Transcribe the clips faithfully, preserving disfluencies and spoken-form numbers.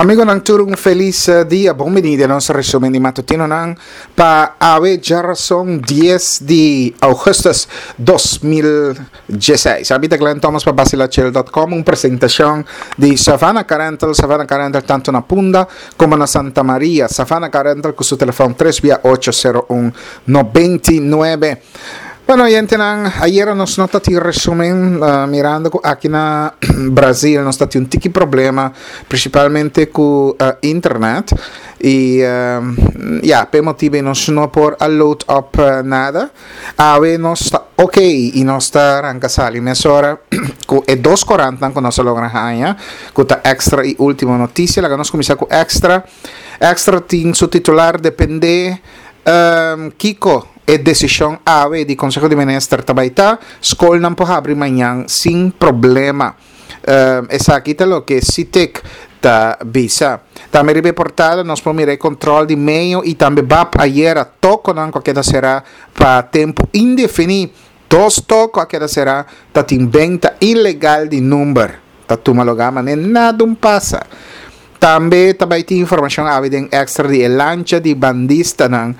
Amigonan tur un felis dia, bon bini den nos resumen di matutinonan pa awe djarason dies di augustus dos mil diesseis. Abi ta Glenn Thomas pa Basilachel dot com, un presentacion di Savannah Car Rental, Savannah Car Rental tanto na Punda como na Santa Maria. Savannah Car Rental cu su telefon tres bia ocho sero un noventa y nuebe. Bueno, oyentenan, ayera nos no ta tin resumen, uh, mirando cu aki na Brasil nos ta tin un tiki problema, principalmente cu, uh, internet. Y, um, ja, pe motivo nos no por a load up, uh, nada. Awe nos ta ok y nos ta arranca sali mesora cu e dos corantan cu nos logra haña, cu ta Extra y Última Noticia. Laga nos cuminsa cu Extra. Extra tin su titular depende, um, Kiko e decisión awe di Consejo de Minister tabaita, skol nan po habri mañan sin problema. Um, esaki ta lo que SITEC ta bisa. Tambe ribe portada nos po mira control di meio y tambe B A P ayer a toko nan ko queda será pa tempo indefini. Dos toko a queda será ta tin venta ilegal di number. Ta tuma logama ne nada un pasa. Tambe tabay ti información awe den Extra di el lancha di bandista nan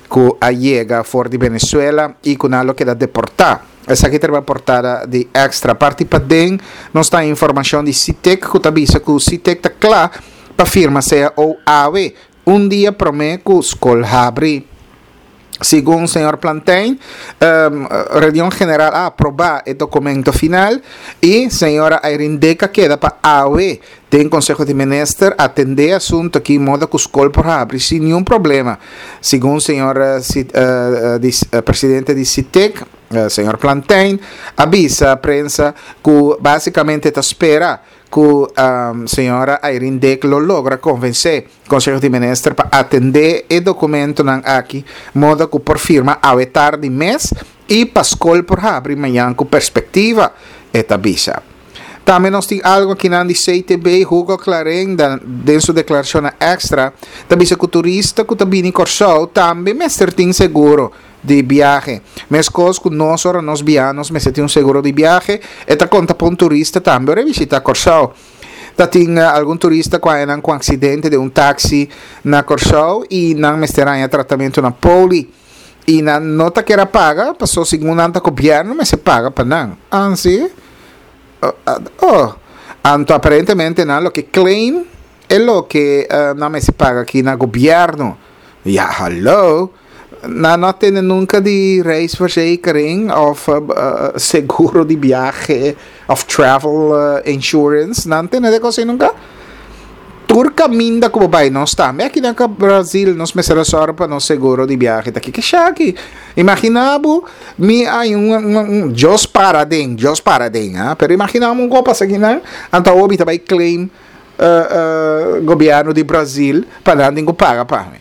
ku a llega for di Venezuela y ku nalo queda deportá. Esa aquí terba portada di Extra. Parti pa den nos ta información di SITEC ku ta bisa ku SITEC ta kla pa firma sea o A W un dia prome ku skol habri. Según señor Plantijn, um, reunión general a aprobar el documento final y señora Irene Deca queda pa A W den Consejo de Ministros atender asunto aquí modo que skol por abrir sin ningún problema. Según señor, eh, si, eh, eh, dis, eh, presidente de SITEC, eh, señor Plantijn, avisa a prensa que básicamente te espera que, um, señora Irene Deck lo logra convencer Consejo de Ministros para atender el documento nan aquí, modo que por firma a vetar de mes y Pascol por abrir mañana con perspectiva esta visa. También nos tiene algo aquí en el C T B, Hugo Clarín, de, de su declaración extra, también dice que turista que también en Corsao, también me tiene seguro de viaje. Mescos que nos ora nos vianos, me tiene un seguro de viaje, esta conta para un turista también ora visita Corsao. Ta tin algún turista que hay un accidente de un taxi na Corsao y nan me estará tratamiento na poli. Y na nota que era paga, pasó según anta gobierno, me se paga pa nan. Ah, sí? Oh, ah, oh. Anto aparentemente na lo que claim es lo que, eh, no me se paga aquí na gobierno. Ja, hallo. Na no tiene nunca di reisverzekering of, eh, eh, seguro di viaje of travel, eh, insurance. No tiene de cosa nunca. Turca minda como vai não está. Me aqui na Brasil nos me será só para no seguro de viaje. Tá aqui que chaki. Imaginabo mi hay un, un, un Dios para den, Dios para den, ah? Pero imaginamos un copa aqui, né? Anta obi também claim, eh, eh, governo de Brasil para não paga para mim.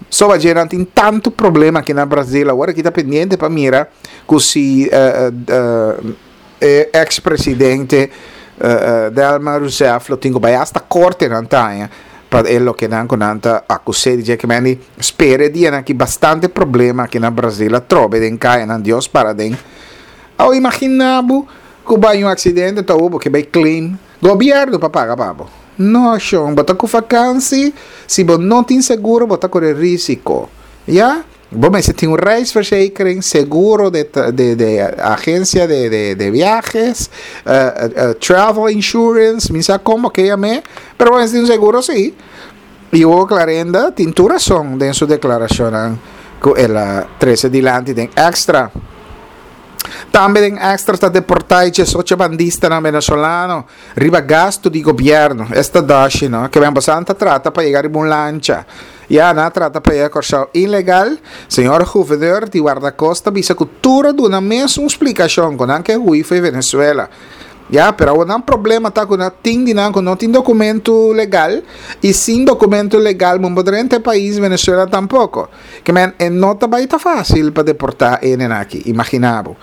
Só a gente tem tanto problema aqui na Brasil agora que tá pendente para mira que se, eh, eh, eh, ex-presidente, eh, eh, Dilma Rousseff lo tengo vai hasta corte na tanha para ele que não com anta acusar de que mani espere dia aqui bastante problema aqui na Brasil a trobe den cai na Deus para den ao imaginabo que vai um acidente tá o que vai claim governo para pagar babo no chão bota com vacancy se bo não tem seguro bota correr risco ya. Bom, mas você tem um reisverzekering, seguro de, de, de agência de, de, de viajes, eh, eh, travel insurance, me sabe como que llame, pero bueno, tem um seguro sim. E o Clarenda tem toda razão em sua declaração, que ela treze dilante tem extra. Também tem extra está deportado ocho bandista na venezolano, riba gasto di governo. Esta dashi, no? Que vem bastante trata para chegar em uma lancha. Ya na trata para ir a ilegal. Senhor governador de guarda-costa bisa cultura de uma mesma explicação com que hui foi Venezuela. Ya, pero un problema tá com tem dinheiro, com não tem documento legal e sem documento legal não poderá entrar país Venezuela tampouco. Que men não tá vai tá fácil para deportar em aqui, imaginavo.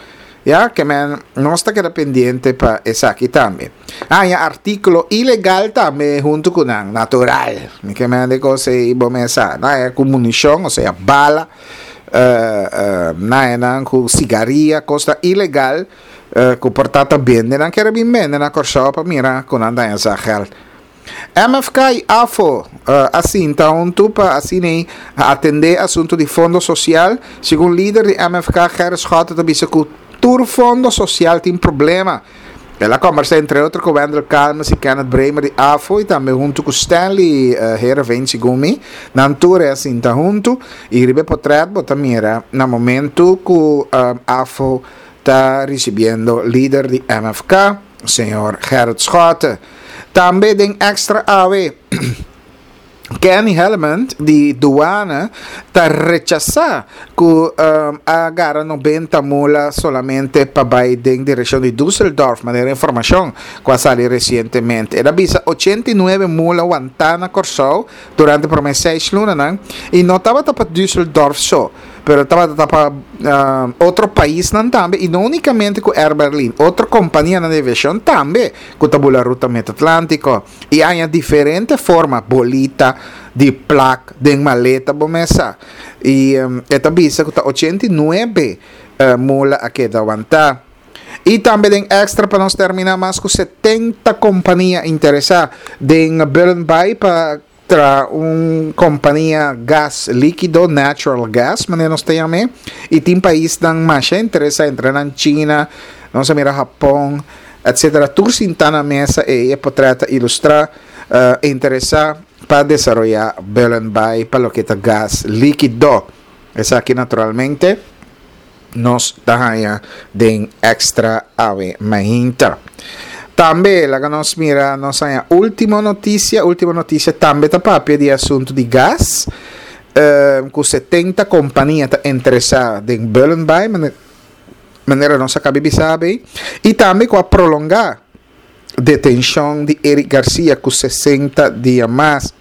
Ya, que men não está queda pendiente para essa aqui também. Ah, e artículo ilegal também junto com ang natural. Que men de coisa e bom essa, não é com munição, ou seja, bala, eh, eh, não é não com cigarria, coisa ilegal. Eh, ku portata bende nan kere bin bende na Kòrsou pa mira ku nan daña sa geld. M F K i A F O uh, a sinta huntu pa asina atendé asuntu di fondo sosial. Segun lider di M F K, Gerrit Schotte, ta bisa ku tur fondo sosial tin problema. El a kombersá entre otro ku Wendel Calmes i Kenneth Bremer di A F O i tambe huntu ku Stanley uh, Heerenveen, segun mi. Nan tur a sinta huntu i riba portrèt bo ta mira na momento ku uh, A F O ta risibiendo lider di M F K, señor Gerrit Schotte. Tambe den Extra awe, Kenny Hellement di Duana ta rechasá ku um, a gara nobenta mula solamente pa bai den direkshon di Düsseldorf, manera informashon ku a sali resientemente. El a bisa ochenta i nuebe mula wantá na Kòrsou durante promé seis luna i no tabata pa Düsseldorf so, pero tabata pa uh, otro paisnan tambe i no únikamente ku Air Berlin, otro kompania di aviashon tambe ku ta bula ruta Atlántiko i tin diferente forma, bolita di plak den maleta, bo mes sa. I um, e ta bisa ku ta ochenta i nuebe uh, mula a keda wantá. I tambe den Extra, pa nos terminá, mas ku setenta kompania interesá den Bullenbaai pa traha un kompania gas líkido, natural gas, manera nos ta yam'é, i tin paisnan mas interesá, entre na China, nos a mira Japon, et cetera. Tur sintá na mesa i e portrèt ta ilustrá uh, interesá pa desaroyá Bullenbaai pa loke ta gas líkido. Esaki naturalmente nos ta haña den Extra awe mainta. Tambe, laga nos mira, nos último notisia, último notisia tambe ta papia di asuntu di gas. Uh, ku setenta kompania ta interesá den Bullenbaai, manera nos a kaba di bisa, i tambe ku a prolongá detenshon di Eric Garcia ku sesenta dia mas.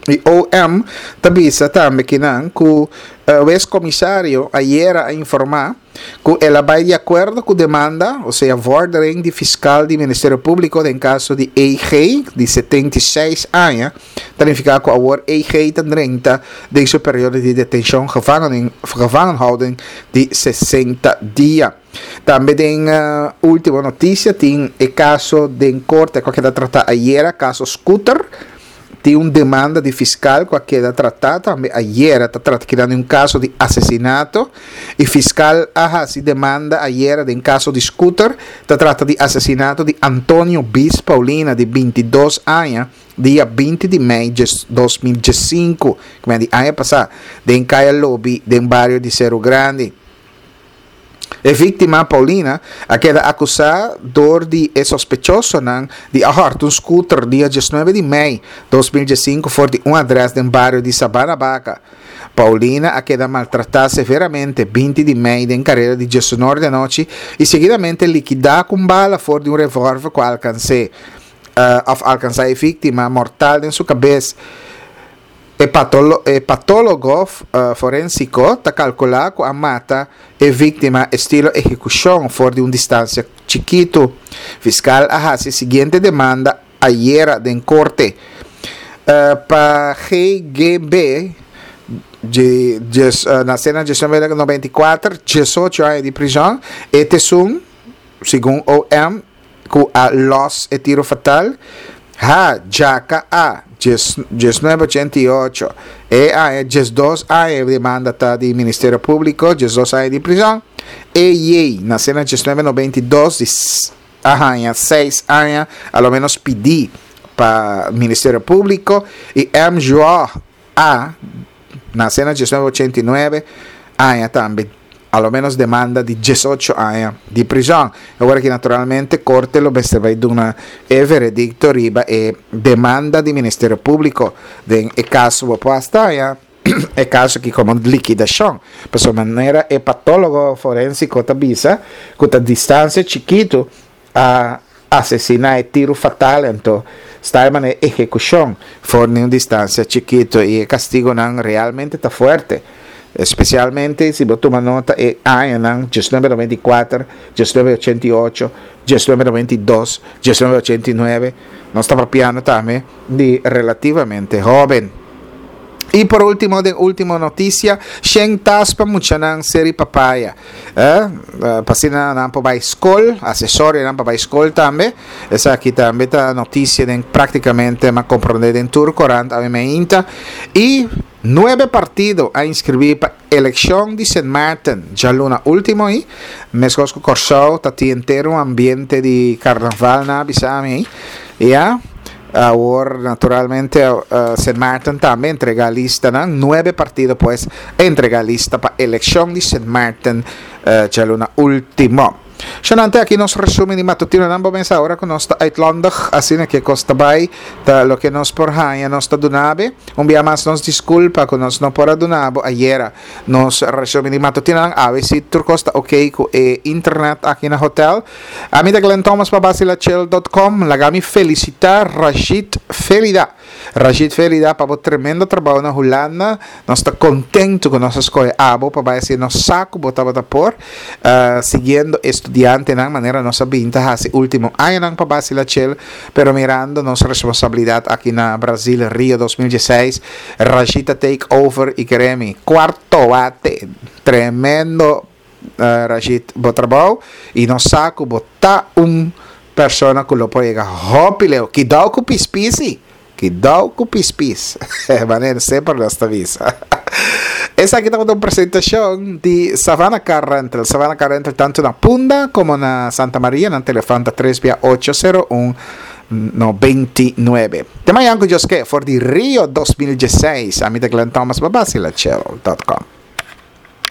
I O M ta bisa tambe ku nan ku uh, e komisario ayera a informá ku el a bai di akuerdo ku demanda, o sea, vordering di fiskal di Ministerio Públiko den kaso di E G di setenta i seis aña, ta nifiká ku awor E G ta drenta den su periodo di detenshon, gevangen, gevangenhouding di sesenta dia. Tambe den uh, último notisia tin e kaso den korte ku a keda tratá ayera, kaso Scooter. Tin un demanda di fiskal ku a keda tratá tambe ayera, ta trata di un kaso di asesinato i fiskal a hasi demanda ayera den kaso di Scooter, ta trata di asesinato di Antonio Bis Paulina di bintidos aña, dia binti di mei di dos mil diesinku, ku di aña pasá, den Kaya Lobby, den bario di Cerro Grande. E víktima Paulina a keda akusá dor di e sospechosonan di a hòrta un scooter dia diesnuebe di mei di dos mil diesinku for di un adrès den bario di Sabana Baka. Paulina a keda maltratá severamente binti di mei den kareda di diesun or di anochi i seguidamente likidá ku bala for di un revòlver ku alkans'é uh, òf alkansá e víktima mortal den su kabes. E, patolo, e patólogo uh, forénsiko ta kalkulá ku a mata e víktima estilo ehekushon for di un distansia chikitu. Fiskal a hasi siguiente demanda ayera den korte. Uh, pa G G B, di, di, uh, nasé na mil noveshentosnobenta i kuater, diesocho aña di prizòn, e ta esun, segun O M, ku a los e tiro fatal. H, J K A, mil noveshentosochenta i ocho, E A, diesdos aña, demanda ta di Ministerio Públiko, diesdos aña di prizòn. E J, nasé na mil noveshentosnobenta i dos, di aña, seis aña, a lo menos pidí pa Ministerio Públiko. I M. João A, nasé na mil noveshentosochenta i nuebe, aña tambe, a lo menos demanda di diesocho aña di prizòn. Awor ku naturalmente korte lo bai duna e veredikto riba e demanda di Ministerio Públiko den e kaso opuesto ya e kaso ku komo likidashon. Pa manera e patólogo forénsiko ta bisa ku ta distansia chikitu a asesiná e tiro fatal, anto ta manera ehekushon for di un distansia chikitu i e kastigunan realmente ta fuerte, espesialmente si bo tuma nota e añanan mil noveshentosnobenta i kuater, mil noveshentosochenta i ocho, mil noveshentosnobenta i dos, mil noveshentosochenta i nuebe, nos ta papiando tambe di relativamente hóben. I por último, den último notisia, shen tas pa muchanan Ser'i Papaya. Eh, pa asina nan por bai skol, asesorionan pa bai skol tambe. Esaki tambe ta notisia den práktikamente m'a komprondé den tur korant awe mainta. I nuebe partido a inskribí pa elekshon di Sint Maarten djaluna último ei. Meskos ku Kòrsou ta tin henter un ambiente di karnaval nan a bisa mi ei. Ya. Awor naturalmente Sint Maarten tambe entrega listanan. Nuebe partido pues a entrega lista pa elekshon di Sint Maarten djaluna ultimo. Shonante aki nos resumen di matutinonan bo mesa ora ku nos ta uitlandig asina ke kos ta bai ta loke nos por haña nos ta dunabe. Un bia mas nos diskulpa ku nos no por a duna bo ayera nos resumen di matutinonan. Awe si tur kos ta ok ku e internet aki na hotel. Ami ta Glenn Thomas pa Basilachel dot com. Laga mi felicita Rashid Felida. Rashid Felida pa bo tremendo trabou na Hulanda. Nos ta contento cu nos a scoge abo pa bay haci nos sa cu bo tabata por siguiendo e studiantenan manera nos a bin ta haci ultimo añanan pa Basilachel pero mirando nos responsabilidad aki na Brasil Rio dos mil dieseis Rashid a take over y kere mi cuarto bate tremendo Rashid bo trabou y nos sa cu bo ta un persona cu lo por yega hopi leu. Kidao cu pispisi! Kidao cu pispis! Manera semper nos ta bisa. Esaki tabata un presentacion di Savannah Car Rental. Savannah Car Rental tanto na Punda como na Santa Maria. Nan telefon ta tres bia ocho sero un nobenta i nuebe. Te mañan cu Dios ke for di Rio dos mil dieseis. Ami ta Glenn Thomas pa Bacila Channel dot com.